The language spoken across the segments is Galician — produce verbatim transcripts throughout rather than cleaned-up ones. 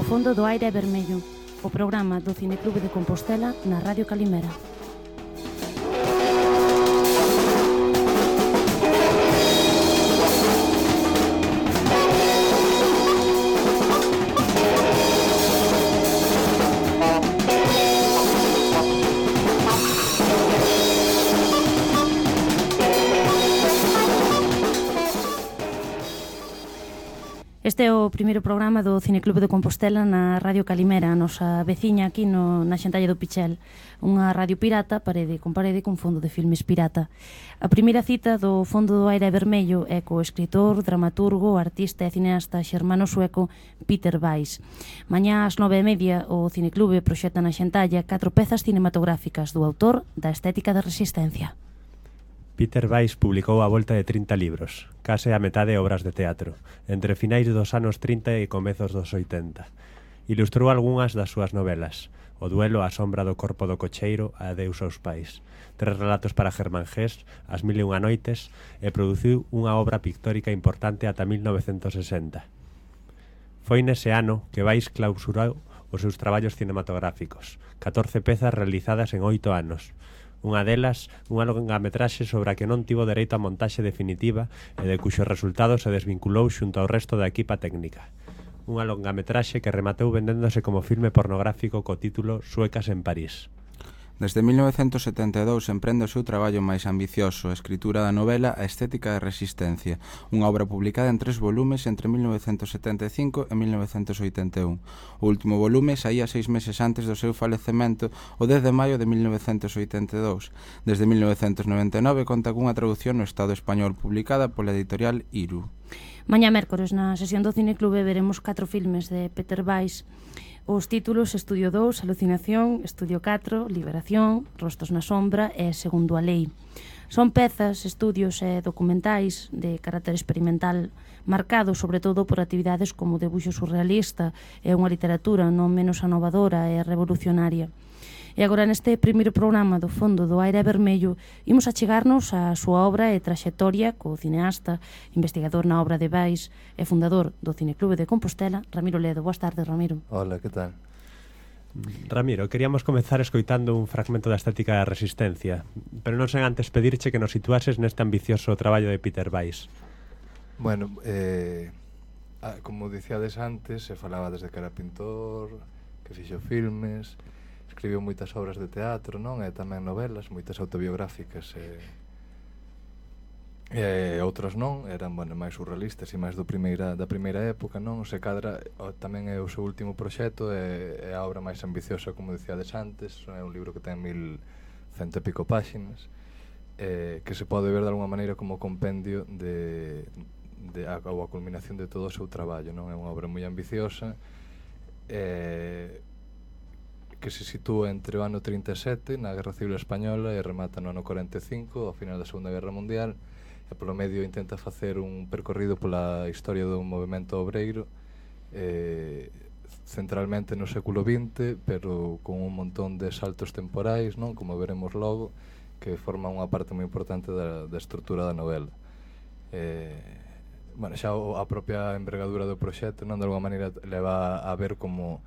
fondo do aire é vermello, o programa do Cineclube de Compostela na Radio Calimera. Este é o primeiro programa do Cineclube de Compostela na Radio Calimera, a nosa veciña aquí no, na Xantalla do Pichel, unha radio pirata, parede con parede, con fondo de filmes pirata. A primeira cita do Fondo do Aire Vermello é co escritor, dramaturgo, artista e cineasta xermano sueco Peter Weiss. Mañá ás nove e media o Cineclube proxecta na Xantalla catro pezas cinematográficas do autor da Estética da Resistencia. Peter Weiss publicou a volta de trinta libros, case a metade obras de teatro, entre finais dos anos trinta e comezos dos oitenta. Ilustrou algunhas das súas novelas, O duelo á sombra do corpo do cocheiro, Adeus aos pais, Tres relatos para Germán Gés, As mil e unha noites, e produciu unha obra pictórica importante ata mil novecentos sesenta. Foi nese ano que Weiss clausurou os seus traballos cinematográficos, catorce pezas realizadas en oito anos. Unha delas, unha longametraxe sobre a que non tivo dereito a montaxe definitiva e de cuxo resultado se desvinculou xunto ao resto da equipa técnica. Unha longametraxe que rematou vendéndose como filme pornográfico co título Suecas en París. Desde mil novecentos setenta e dous emprende o seu traballo máis ambicioso, a escritura da novela A Estética da Resistencia, unha obra publicada en tres volumes entre mil novecentos setenta e cinco e mil novecentos oitenta e un. O último volume saía seis meses antes do seu falecemento, o dez de maio de mil novecentos oitenta e dous. Desde mil novecentos noventa e nove conta cunha traducción no Estado español publicada pola editorial Iru. Mañá mércores na sesión do Cineclube veremos catro filmes de Peter Weiss. Os títulos Estudio dous, Alucinación, Estudio catro, Liberación, Rostos na sombra e Segundo a lei. Son pezas, estudios e documentais de carácter experimental marcados sobre todo por actividades como o debuxo surrealista e unha literatura non menos anovadora e revolucionaria. E agora neste primeiro programa do Fondo do Aire Vermello imos achegarnos á súa obra e traxectoria co cineasta, investigador na obra de Weiss e fundador do Cineclube de Compostela, Ramiro Ledo. Boas tardes, Ramiro. Hola, que tal? Ramiro, queríamos comezar escoitando un fragmento da Estética da Resistencia, pero non sen antes pedirche que nos situases neste ambicioso traballo de Peter Weiss. Bueno, eh, como dicíades antes, se falaba desde que era pintor, que fixo filmes, escribiu moitas obras de teatro, non? E tamén novelas, moitas autobiográficas e, e outras non, eran, bueno, máis surrealistas e máis do primeira, da primeira época, non? Se cadra, o, tamén é o seu último proxecto, é, é a obra máis ambiciosa, como dicíades antes, é un libro que ten mil cento e pico páxinas, eh, que se pode ver de alguma maneira como compendio de, de a, ou a culminación de todo o seu traballo, non? É unha obra moi ambiciosa, e que se sitúa entre o ano trinta e sete na Guerra Civil Española e remata no ano cuarenta e cinco, ao final da Segunda Guerra Mundial, e polo medio intenta facer un percorrido pola historia do movemento obreiro, eh, centralmente no século vinte, pero con un montón de saltos temporais, non? Como veremos logo, que forman unha parte moi importante da, da estrutura da novela. Eh, bueno, xa a propia envergadura do proxecto, non? De alguma maneira leva a ver como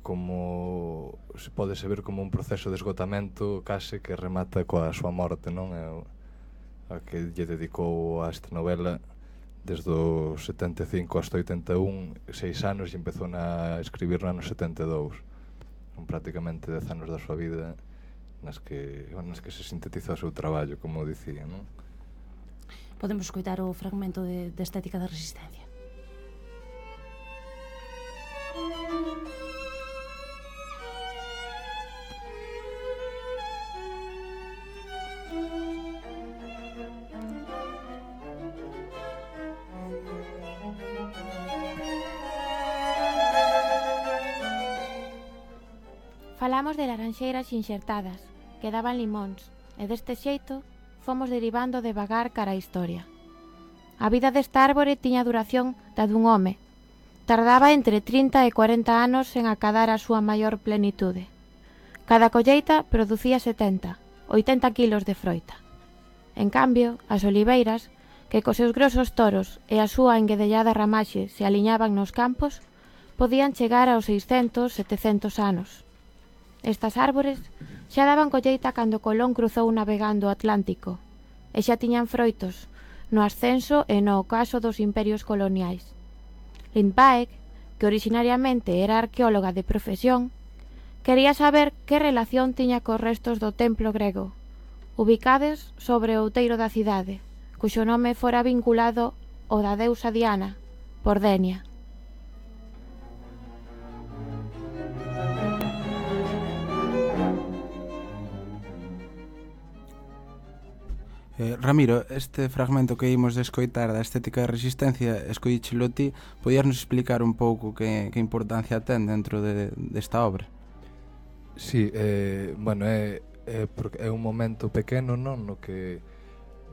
como se pode se ver como un proceso de esgotamento case que remata coa súa morte, non? É a que lle dedicou a esta novela desde o setenta e cinco hasta oitenta e un, seis anos, e empezou a escribir no ano setenta e dous. Son prácticamente dez anos da súa vida nas que, nas que se sintetiza o seu traballo, como dicía, non? Podemos escoitar o fragmento de, de Estética da Resistencia. Falamos de laranxeiras inxertadas, que daban limóns, e deste xeito fomos derivando devagar cara á historia. A vida desta árbore tiña duración da dun home. Tardaba entre trinta e cuarenta anos en acadar a súa maior plenitude. Cada colleita producía setenta, oitenta quilos de froita. En cambio, as oliveiras, que cos seus grosos toros e a súa enguedellada ramaxe se aliñaban nos campos, podían chegar aos seiscentos, setecentos anos. Estas árbores xa daban colleita cando Colón cruzou navegando o Atlántico e xa tiñan froitos no ascenso e no ocaso dos imperios coloniais. Lindbeck, que originariamente era arqueóloga de profesión, quería saber que relación tiña cos restos do templo grego, ubicados sobre o outeiro da cidade, cuxo nome fora vinculado ao da deusa Diana, por Denia. Eh, Ramiro, este fragmento que imos de escoitar da estética de resistencia, escollíchelo ti, podíasnos explicar un pouco que, que importancia ten dentro de, desta obra? Sí, eh, bueno, é, é, é un momento pequeno, non, no que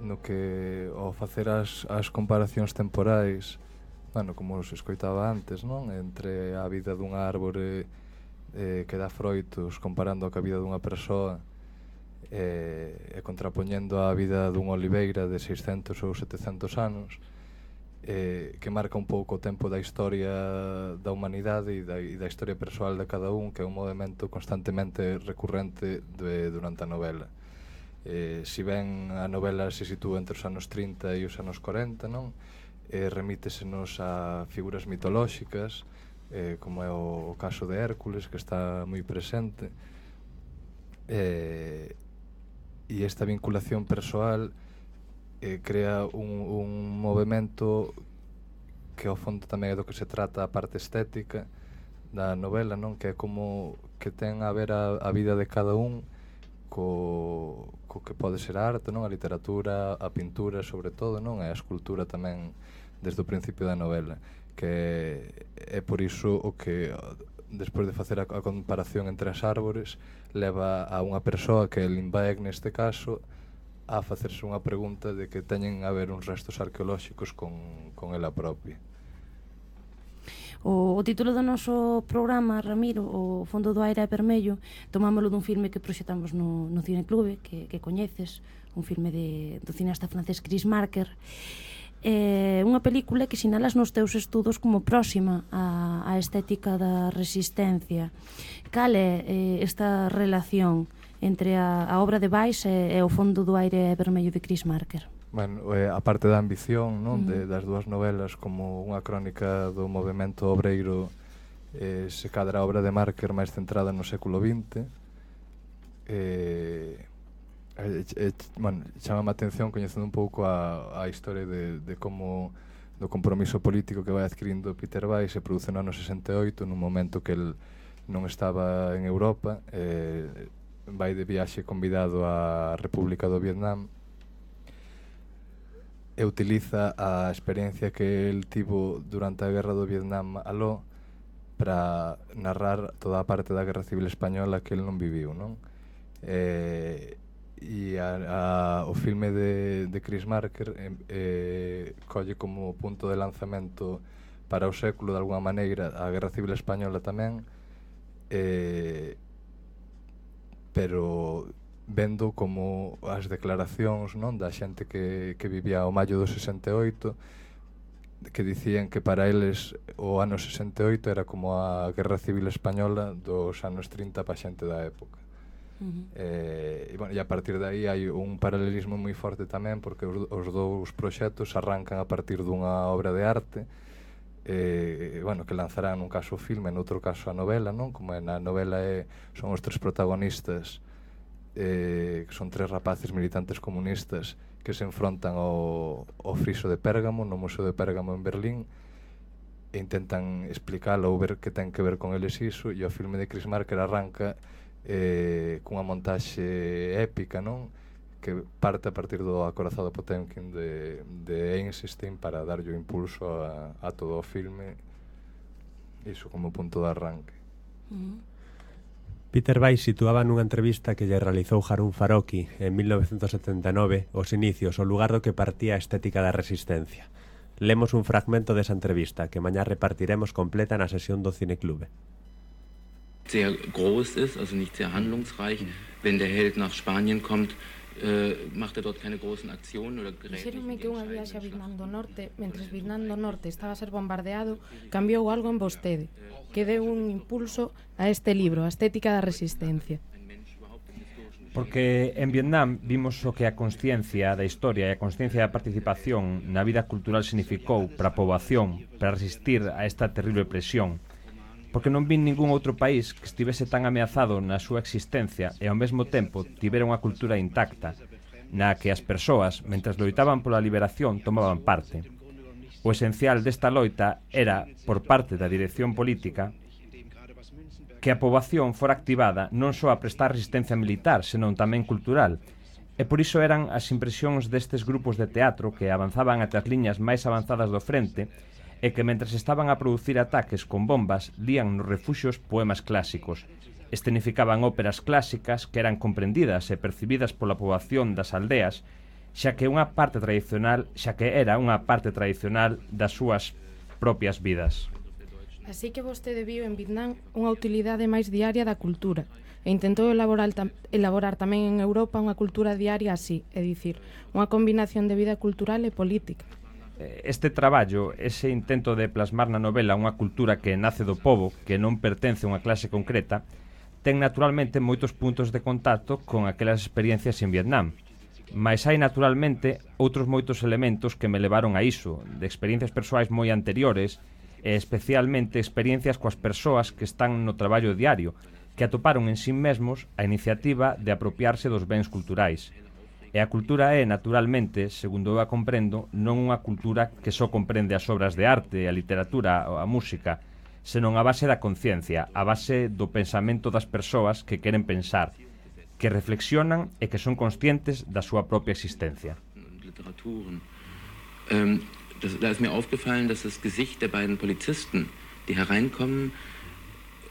no que ao facer as, as comparacións temporais, bueno, como se escoitaba antes, non, entre a vida dunha árbore eh, que dá froitos comparando a vida dunha persoa, e, e contrapoñendo a vida dunha oliveira de seiscentos ou setecentos anos, eh, que marca un pouco o tempo da historia da humanidade e da, e da historia persoal de cada un, que é un movimento constantemente recurrente de, durante a novela. Eh, si ben a novela se sitúa entre os anos trinta e os anos corenta, non? Eh, remítesenos a figuras mitolóxicas, eh, como é o, o caso de Hércules, que está moi presente, eh, e esta vinculación persoal eh, crea un, un movimento que ao fondo tamén é do que se trata a parte estética da novela, non? Que é como que ten a ver a, a vida de cada un co, co que pode ser a arte, non? A literatura, a pintura sobre todo, non? E a escultura tamén desde o principio da novela, que é por iso o que despois de facer a, a comparación entre as árbores leva a unha persoa, que é Lindbeck neste caso, a facerse unha pregunta de que teñen a ver uns restos arqueolóxicos con, con ela propia. O, o título do noso programa, Ramiro, O fondo do aire é vermello, tomámoslo dun filme que proxetamos no, no Cineclube, que, que coñeces, un filme de, do cineasta francés Chris Marker. É unha película que sinalas nos teus estudos como próxima á, á estética da resistencia. Cal é eh, esta relación entre a, a obra de Weiss e, e O fondo do aire vermello de Chris Marker? Bueno, eh, a parte da ambición, non, Uh-huh. de, das dúas novelas como unha crónica do movimento obreiro, eh, se cadra a obra de Marker máis centrada no século vinte, eh, E, e, bueno, chama a atención coñecendo un pouco a, a historia de, de como do compromiso político que vai adquirindo Peter Weiss se produce no ano sesenta e oito, nun momento que el non estaba en Europa, eh, vai de viaxe convidado á República do Vietnam e utiliza a experiencia que el tivo durante a Guerra do Vietnam aló para narrar toda a parte da Guerra Civil Española que el non viviu, non? Eh, e a, a, o filme de, de Chris Marker eh, eh, colle como punto de lanzamento para o século de alguma maneira a Guerra Civil Española tamén, eh, pero vendo como as declaracións, non, da xente que, que vivía o maio do sesenta e oito, que dicían que para eles o ano sesenta e oito era como a Guerra Civil Española dos anos trinta pa xente da época. Uh-huh. Eh, e, bueno, e a partir de aí hai un paralelismo moi forte tamén, porque os, os dous proxectos arrancan a partir dunha obra de arte, eh, bueno, que lanzarán nun caso o filme, noutro caso a novela, non? Como na novela é, son os tres protagonistas, eh, que son tres rapaces militantes comunistas que se enfrontan ao, ao friso de Pérgamo, no Museo de Pérgamo en Berlín, e intentan explicalo ou ver que ten que ver con eles iso, e o filme de Chris Marker arranca eh, cunha montaxe épica, non? Que parte a partir do acorazado Potemkin de, de Einstein para darlle o impulso a, a todo o filme, iso como punto de arranque. Uh-huh. Peter Weiss situaba nunha entrevista que lle realizou Harun Farocki en mil novecentos setenta e nove os inicios, o lugar do que partía a estética da resistencia. Lemos un fragmento desa entrevista que mañá repartiremos completa na sesión do Cineclube. Sehr groß ist, also nicht sehr handlungsreich. Wenn der Held nach Spanien kommt, Dixéronme que unha viaxe a Vietnam do Norte, mentres Vietnam do Norte estaba a ser bombardeado, cambiou algo en vostede, que deu un impulso a este libro, a estética da resistencia. Porque en Vietnam vimos o que a consciencia da historia e a consciencia da participación na vida cultural significou para a poboación, para resistir a esta terrible presión. Porque non vin ningún outro país que estivese tan ameazado na súa existencia e ao mesmo tempo tivera unha cultura intacta, na que as persoas, mentres loitaban pola liberación, tomaban parte. O esencial desta loita era, por parte da dirección política, que a poboación fora activada non só a prestar resistencia militar, senón tamén cultural. E por iso eran as impresións destes grupos de teatro que avanzaban ate as liñas máis avanzadas do frente e que, mentres estaban a producir ataques con bombas, lían nos refuxios poemas clásicos. Escenificaban óperas clásicas que eran comprendidas e percibidas pola poboación das aldeas, xa que unha parte tradicional, xa que era unha parte tradicional das súas propias vidas. Así que vostede viu en Vietnam unha utilidade máis diaria da cultura e intentou elaborar, tam elaborar tamén en Europa unha cultura diaria así, é dicir, unha combinación de vida cultural e política. Este traballo, ese intento de plasmar na novela unha cultura que nace do pobo, que non pertence a unha clase concreta, ten naturalmente moitos puntos de contacto con aquelas experiencias en Vietnam. Mais hai naturalmente outros moitos elementos que me levaron a iso, de experiencias persoais moi anteriores, e especialmente experiencias coas persoas que están no traballo diario, que atoparon en sí mesmos a iniciativa de apropiarse dos bens culturais. E a cultura é, naturalmente, segundo eu a comprendo, non unha cultura que só comprende as obras de arte, a literatura ou a música, senón a base da conciencia, a base do pensamento das persoas que queren pensar, que reflexionan e que son conscientes da súa propia existencia. Um... Da ist mir aufgefallen, dass das Gesicht der beiden Polizisten, die hereinkommen,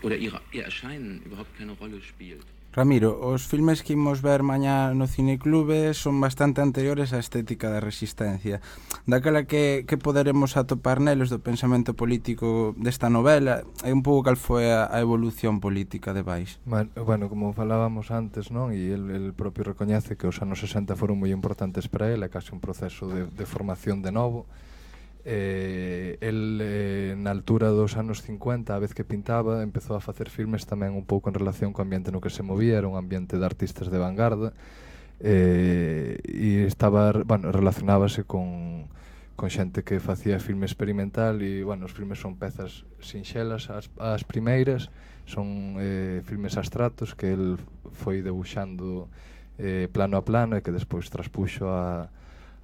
oder ihre, ihr Erscheinen überhaupt keine Rolle spielt. Ramiro, os filmes que imos ver mañá no Cineclube son bastante anteriores á estética da resistencia. Daquela que, que poderemos atopar neles do pensamento político desta novela e un pouco cal foi a, a evolución política de Vais. Bueno, como falábamos antes, non? E el, el propio recoñece que os anos sesenta foron moi importantes para ele, é casi un proceso de, de formación de novo. Eh, el eh, na altura dos anos cincuenta, a vez que pintaba, empezou a facer filmes tamén un pouco en relación co ambiente no que se movía, era un ambiente de artistas de vanguarda, eh, e estaba, bueno, relacionábase con, con xente que facía filme experimental e, bueno, os filmes son pezas sinxelas as, as primeiras, son eh, filmes abstratos que el foi debuxando eh, plano a plano e que despois traspuxo a,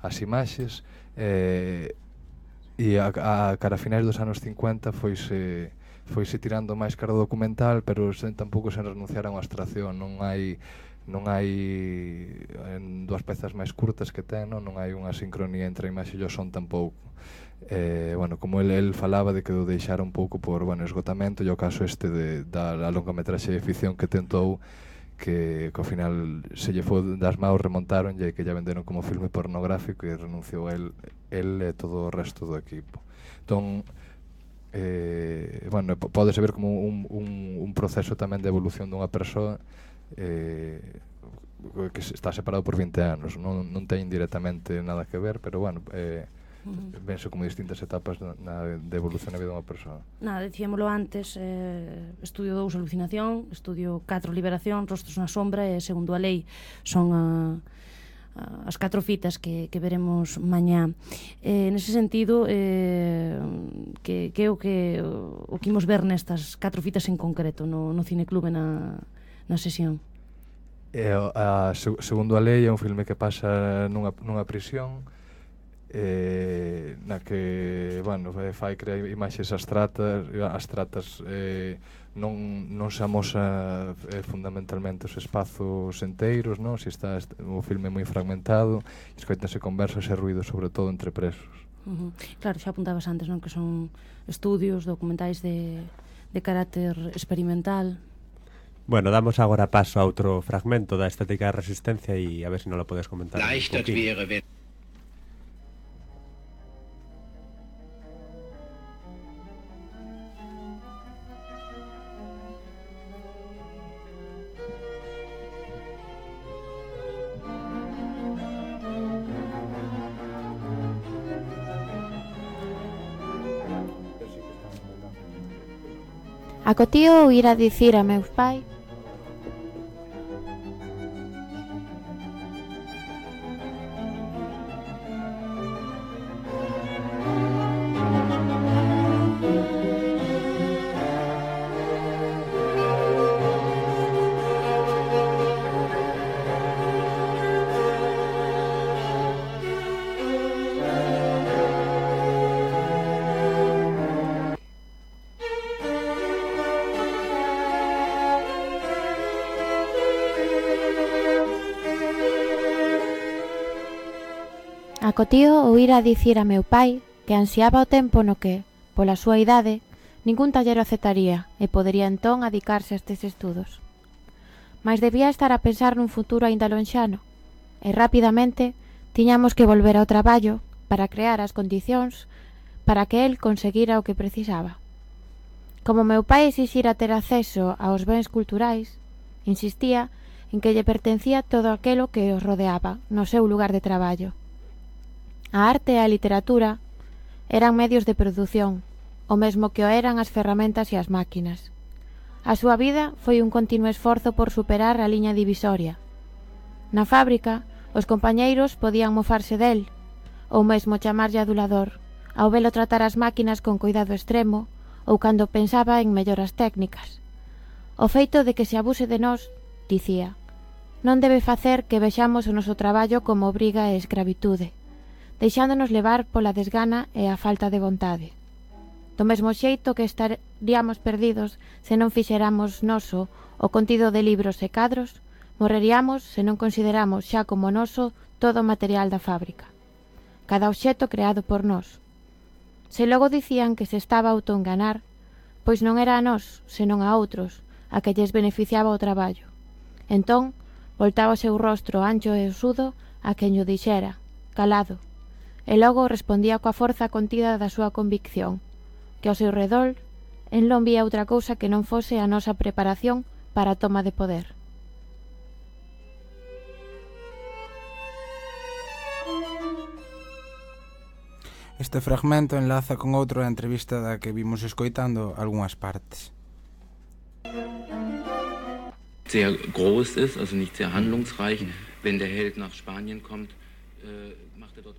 as imaxes, eh, e a, a cara a finais dos anos cincuenta foise, foise tirando máis cara documental, pero sen, tampouco sen renunciar a unha abstracción. Non hai non hai en dúas pezas máis curtas que ten, non, non hai unha sincronía entre a imaxe e o son tampouco. Eh, bueno, como el, el falaba de que o deixara un pouco por, bueno, esgotamento, e o caso este de, da longametraxe de ficción que tentou, que, que ao final se lle foi das maus, remontaron e que ya venderon como filme pornográfico e renunciou el, el e todo o resto do equipo. Entón, eh, bueno, pódese ver como un, un, un proceso tamén de evolución dunha persoa eh, que está separado por vinte anos, non, non ten directamente nada que ver, pero bueno, eh, Uh-huh. vense como distintas etapas na, de evolución na vida dunha persoa. Nada, dicíamolo antes, eh, estudio dous Alucinación, estudio catro Liberación, Rostros na sombra e Segundo a lei. Son a, a, as catro fitas que, que veremos mañá. Eh, nese sentido, eh, que, que é o que o que imos ver nestas catro fitas en concreto no, no Cineclube na, na sesión? Eh, a, a Segundo a lei é un filme que pasa nunha, nunha prisión, eh, na que, bueno, fai crear imaxes abstratas, abstratas eh, non, non se amosa eh, fundamentalmente os espazos enteiros, non? Si está o filme moi fragmentado, escoitanse conversas e ruidos, sobre todo entre presos. Uh-huh. Claro, xa apuntabas antes, non? Que son estudios, documentais de, de carácter experimental. Bueno, damos agora paso a outro fragmento da estética da resistencia e a ver se non lo podes comentar un poquinho. Acotío ir a dicir a meus pais Acotío o ir a dicir a meu pai que ansiaba o tempo no que, pola súa idade, ningún tallero aceptaría e podería entón adicarse a estes estudos. Mais debía estar a pensar nun futuro aínda lonxano, e rapidamente tiñamos que volver ao traballo para crear as condicións para que el conseguira o que precisaba. Como meu pai exixira ter acceso aos bens culturais, insistía en que lle pertencía todo aquelo que os rodeaba no seu lugar de traballo. A arte e a literatura eran medios de produción, o mesmo que o eran as ferramentas e as máquinas. A súa vida foi un continuo esforzo por superar a liña divisoria. Na fábrica, os compañeiros podían mofarse del, ou mesmo chamarlle adulador, ao velo tratar as máquinas con cuidado extremo, ou cando pensaba en melloras técnicas. O feito de que se abuse de nós, dicía, non debe facer que vexamos o noso traballo como obriga e escravitude, deixándonos levar pola desgana e a falta de vontade. Do mesmo xeito que estaríamos perdidos se non fixéramos noso o contido de libros e cadros, morreríamos se non consideramos xa como noso todo o material da fábrica, cada obxeto creado por nós. Se logo dicían que se estaba a autoenganar, pois non era a nós, senón a outros, a que lles beneficiaba o traballo. Entón, voltaba o seu rostro ancho e osudo a quen o dixera, calado, e logo respondía coa forza contida da súa convicción, que ao seu redor en non vía outra cousa que non fose a nosa preparación para a toma de poder. Este fragmento enlaza con outro da entrevista da que vimos escoitando algunhas partes. Sehr groß ist, also nicht sehr handlungsreich, wenn der Held nach Spanien kommt.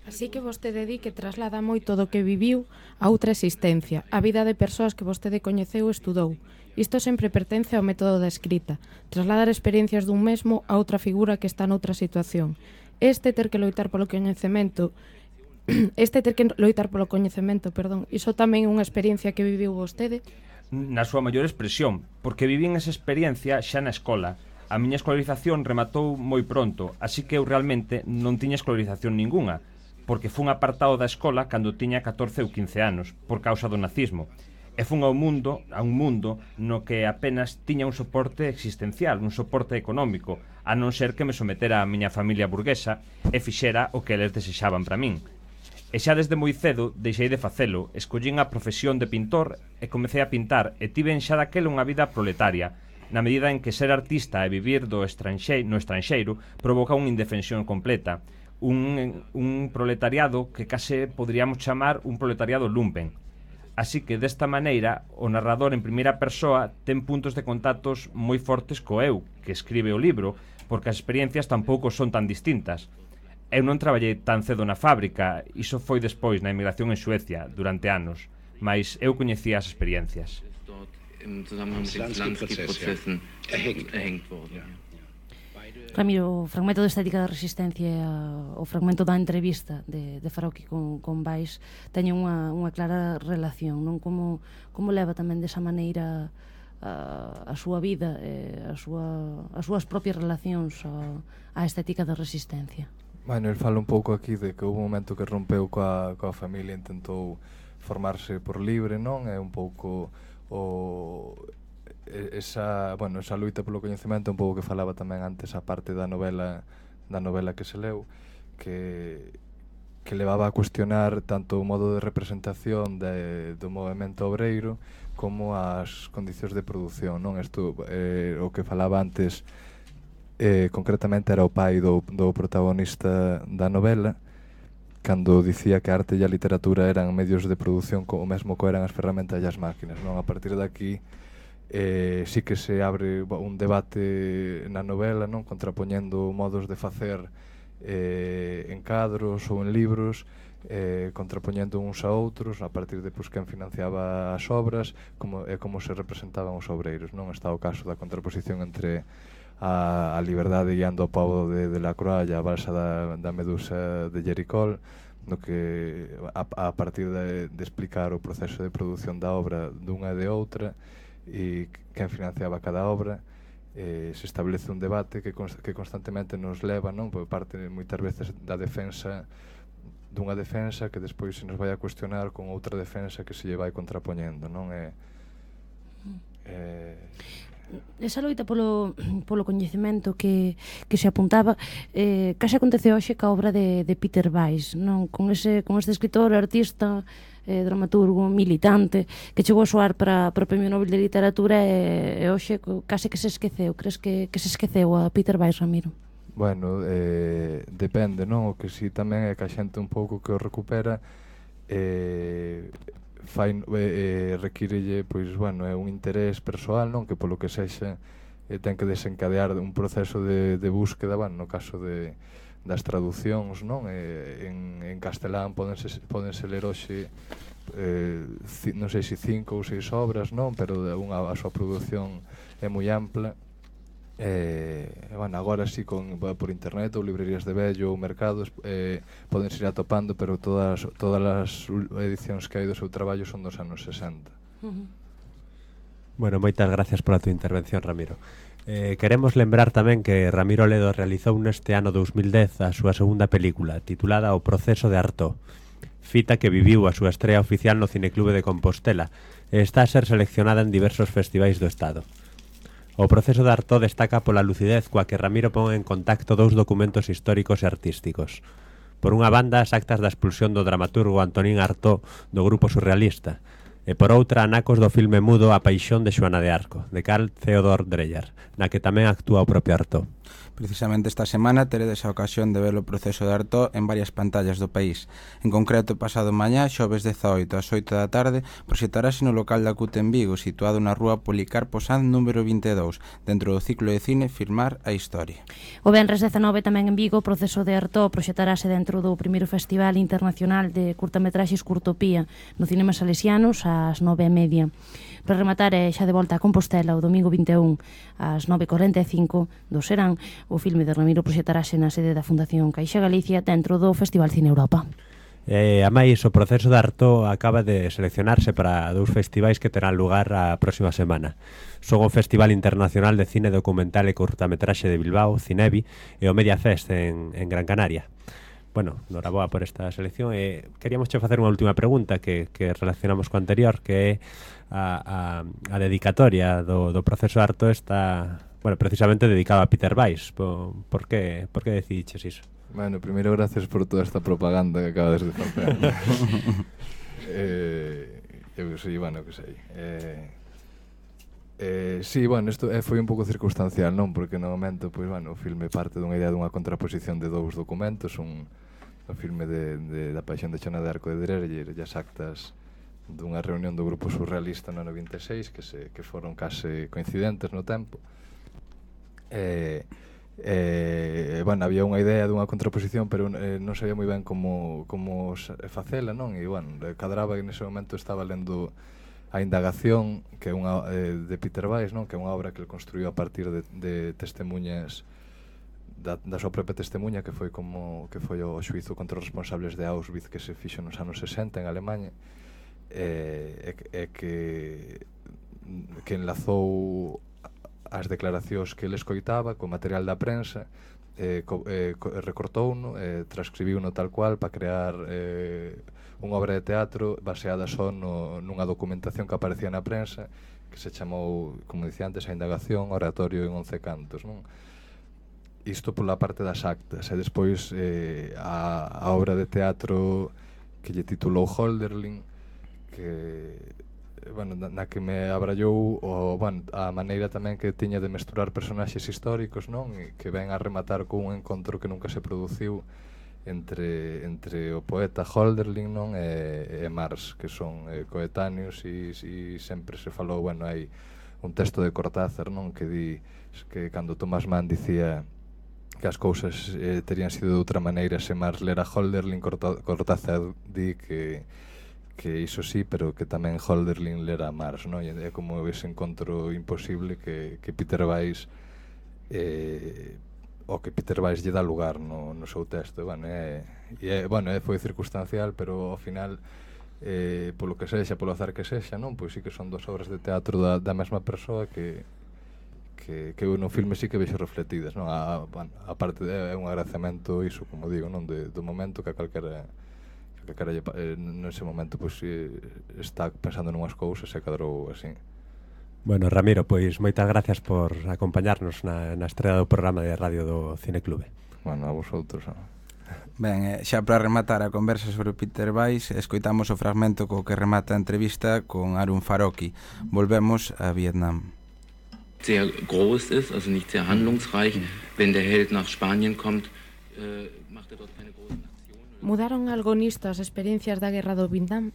Así que vostede di que traslada moito do que viviu a outra existencia, a vida de persoas que vostede coñeceu e estudou. Isto sempre pertence ao método da escrita, trasladar experiencias dun mesmo a outra figura que está noutra situación. Este ter que loitar polo coñecemento, este ter que loitar polo coñecemento, perdón, iso tamén é unha experiencia que viviu vostede? Na súa maior expresión, porque vivín esa experiencia xa na escola. A miña escolarización rematou moi pronto, así que eu realmente non tiña escolarización ningunha, porque fun apartado da escola cando tiña catorce ou quince anos, por causa do nazismo. E fun ao mundo, a un mundo no que apenas tiña un soporte existencial, un soporte económico, a non ser que me sometera a miña familia burguesa e fixera o que eles desexaban para min. E xa desde moi cedo deixei de facelo, escollín a profesión de pintor e comecei a pintar e tiven xa daquela unha vida proletaria, na medida en que ser artista e vivir do estranxeiro, no estranxeiro provoca unha indefensión completa, un, un proletariado que case poderíamos chamar un proletariado lumpen. Así que desta maneira o narrador en primeira persoa ten puntos de contactos moi fortes co eu, que escribe o libro, porque as experiencias tampouco son tan distintas. Eu non traballei tan cedo na fábrica, iso foi despois na emigración en Suecia, durante anos, mas eu coñecía as experiencias. Im Zusammenhang mit den Lansky-Prozessen erhängt worden. Ramiro, o fragmento de Estética da Resistencia, o fragmento da entrevista de, de Farauqui con, con Vais teñen unha, unha clara relación, non? Como, como leva tamén desa maneira a, a súa vida, e a súa, as súas propias relacións a, a Estética da Resistencia? Bueno, el fala un pouco aquí de que houve un momento que rompeu coa, coa familia, intentou formarse por libre, non? É un pouco o esa, bueno, esa luita polo coñecemento, un pouco que falaba tamén antes a parte da novela da novela que se leu, que que levaba a cuestionar tanto o modo de representación de, do movemento obreiro como as condicións de produción, non? Isto, eh, o que falaba antes eh, concretamente era o pai do, do protagonista da novela, cando dicía que a arte e a literatura eran medios de produción como mesmo que eran as ferramentas e as máquinas, non? A partir de aquí eh, sí que se abre un debate na novela, non, contrapoñendo modos de facer eh, en cadros ou en libros, eh, contrapoñendo uns a outros a partir de pues, quen financiaba as obras, como, e como se representaban os obreiros, non? Está o caso da contraposición entre a, a liberdade guiando o pobo de, de Lacroix e a balsa da, da Medusa de Jericó, no que a, a partir de, de explicar o proceso de produción da obra dunha e de outra e quen financiaba cada obra, eh, se establece un debate que, const que constantemente nos leva, non, por parte moitas veces da defensa dunha defensa que despois se nos vai a cuestionar con outra defensa que se lle vai contrapoñendo, non? É, é... Esa loita polo, polo coñecemento que, que se apuntaba eh, case acontece hoxe ca obra de, de Peter Weiss, non? Con, ese, con este escritor, artista, eh, dramaturgo, militante que chegou a soar para, para o Premio Nobel de Literatura e, e hoxe case que se esqueceu. Crees que, que se esqueceu a Peter Weiss, Ramiro? Bueno, eh, depende, non? O que si tamén é que a xente un pouco que o recupera eh, fai, eh, requírelle, pois, bueno, é un interés persoal, non? Que polo que sexa eh, ten que desencadear un proceso de, de búsqueda, bueno, no caso de, das traducións, non? Eh, en, en castelán podense, podense ler hoxe eh, ci, non sei se cinco ou seis obras, non? Pero unha, a súa produción é moi ampla. Eh, bueno, agora sí con, por internet ou librerías de vello ou mercados eh, poden ir atopando, pero todas, todas as edicións que hai do seu traballo son dos anos sesenta. Uh-huh. Bueno, moitas gracias pola tua intervención, Ramiro. Eh, queremos lembrar tamén que Ramiro Ledo realizou neste ano dous mil dez a súa segunda película, titulada O proceso de Artaud, fita que viviu a súa estrea oficial no Cineclube de Compostela e está a ser seleccionada en diversos festivais do Estado. O proceso de Artaud destaca pola lucidez coa que Ramiro pon en contacto dous documentos históricos e artísticos. Por unha banda, as actas da expulsión do dramaturgo Antonín Artaud do grupo surrealista, e por outra, anacos do filme mudo A paixón de Xoana de Arco, de Carl Theodor Dreyer, na que tamén actúa o propio Artaud. Precisamente esta semana teredes a ocasión de ver o proceso de Artaud en varias pantallas do país. En concreto, pasado mañá, xoves dezaoito ás oito da tarde, proxectarase no local da C U T en Vigo, situado na rúa Policarpo Sanz número vinte e dous, dentro do ciclo de cine Filmar a Historia. O venres dezanove tamén en Vigo, o proceso de Artaud proxectarase dentro do primeiro Festival Internacional de Curtametraxes Curtopía no Cinema Salesianos ás nove e media. Para rematar, é xa de volta a Compostela o domingo vinte e un ás nove e corenta e cinco do serán. O filme de Ramiro proxectarase na sede da Fundación Caixa Galicia dentro do Festival Cine Europa. E, a máis, o proceso de Artaud acaba de seleccionarse para dous festivais que terán lugar a próxima semana. Son o Festival Internacional de Cine Documental e Curtametraxe de Bilbao, Cinebi, e o Media Fest en, en Gran Canaria. Bueno, noraboa por esta selección e queríamos che facer unha última pregunta que, que relacionamos co anterior, que é a, a, a dedicatoria do, do proceso de Artaud está, bueno, precisamente dedicado a Peter Weiss. Por, por que, por que decidiches iso? Bueno, primeiro, gracias por toda esta propaganda que acabas de facer. eh, eu que sei, bueno, que sei. Eh, eh, sí, bueno, isto eh, foi un pouco circunstancial, non? Porque no momento, pois, bueno, o filme parte dunha idea dunha contraposición de dous documentos, un, un filme de, de, da paixón de Xoana de Arco de Dreyer e as actas dunha reunión do grupo surrealista no ano vinte e seis que, se, que foron case coincidentes no tempo. E, eh, bueno, había unha idea dunha contraposición, pero eh, non sabía moi ben como, como facela, non? E, bueno, cadraba que nese momento estaba lendo A Indagación, que é unha eh, de Peter Weiss, non? Que é unha obra que ele construiu a partir de, de testemunhas da, da súa propia testemunha, que foi como que foi o xuízo contra os responsables de Auschwitz que se fixo nos anos sesenta en Alemanha. É, é que que enlazou as declaracións que ele escoitaba co material da prensa, eh, co, eh, co, recortouno, eh, transcribiuno tal cual para crear eh, unha obra de teatro baseada só no, nunha documentación que aparecía na prensa que se chamou, como dicía antes, A Indagación, Oratorio en once cantos, non? Isto pola parte das actas, e despois eh, a, a obra de teatro que lle titulou Hölderlin, que, bueno, na, na que me abrallou o, bueno, a maneira tamén que tiña de mesturar personaxes históricos, non? E que ven a rematar con un encontro que nunca se produciu entre, entre o poeta Hölderlin, non? E, e Marx, que son eh, coetáneos e, e sempre se falou, bueno, hai un texto de Cortázar, non, que di que cando Thomas Mann dicía que as cousas eh, terían sido de outra maneira se Marx lera Hölderlin, Cortázar di que que iso sí, pero que tamén Hölderlin lera Marx, non? E é como ese encontro imposible que, que Peter Weiss eh, o que Peter Weiss lle dá lugar no, no seu texto. Bueno, é, e é, bueno, é, foi circunstancial, pero ao final eh, polo que sexa, polo azar que sexa, non? Pois sí que son dos obras de teatro da, da mesma persoa que que, que no filme sí que vexo refletidas, non? A, bueno, a parte de, é un agradecemento iso, como digo, non? De, do momento que a calquera que caralle, eh, nese momento pois, eh, está pensando nunhas cousas e cadrou así. Bueno, Ramiro, pois moitas gracias por acompañarnos na, na estrela do programa de radio do Cineclube. Bueno, a vosotros. ¿No? Ben, eh, xa para rematar a conversa sobre Peter Weiss, escoitamos o fragmento co que remata a entrevista con Arun Farocki. Volvemos a Vietnam. Sehr groß ist, also nicht sehr handlungsreich. Wenn der Held nach Spanien kommt, äh, macht er dort keine großen Aktionen. Mudaron algo nisto as experiencias da guerra do Vietnam?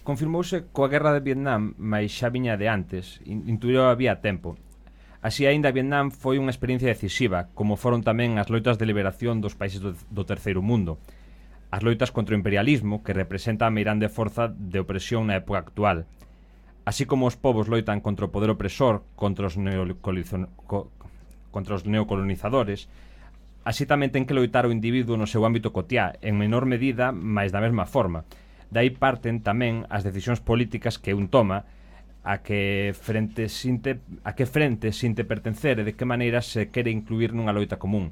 Confirmouse coa guerra de Vietnam, mas xa viña de antes, intuío había tempo. Así aínda Vietnam foi unha experiencia decisiva, como foron tamén as loitas de liberación dos países do, do terceiro mundo. As loitas contra o imperialismo, que representa a meirande forza de opresión na época actual. Así como os povos loitan contra o poder opresor, contra os, co, contra os neocolonizadores, así tamén ten que loitar o individuo no seu ámbito cotiá, en menor medida, mais da mesma forma. Dai parten tamén as decisións políticas que un toma, a que frente sinte, a que frente sinte pertencer e de que maneira se quere incluir nunha loita común.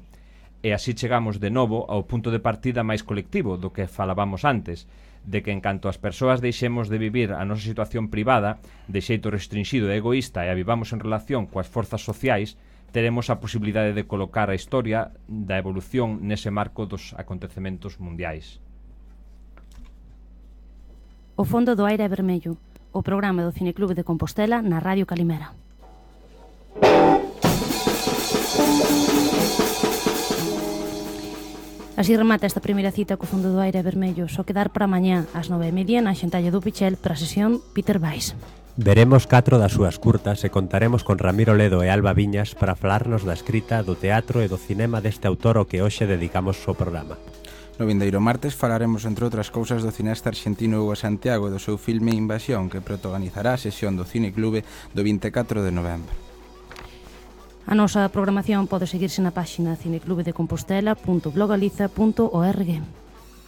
E así chegamos de novo ao punto de partida máis colectivo do que falábamos antes, de que en canto as persoas deixemos de vivir a nosa situación privada de xeito restringido e egoísta e a vivamos en relación coas forzas sociais, teremos a posibilidade de colocar a historia da evolución nese marco dos acontecementos mundiais. O fondo do aire é vermello, o programa do Cineclube de Compostela na Radio Calimera. Así remata esta primeira cita co fondo do aire vermello, só quedar para mañá ás nove e media na xentalla do Pichel para a sesión Peter Weiss. Veremos catro das súas curtas e contaremos con Ramiro Ledo e Alba Viñas para falarnos da escrita, do teatro e do cinema deste autor ao que hoxe dedicamos o programa. No vindeiro martes falaremos, entre outras cousas, do cineasta argentino Hugo Santiago e do seu filme Invasión, que protagonizará a sesión do Cineclube do vinte e catro de novembro. A nosa programación pode seguirse na páxina cineclubedecompostela punto blogaliza punto org.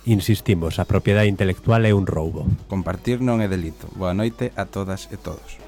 Insistimos, a propiedade intelectual é un roubo. Compartir non é delito. Boa noite a todas e todos.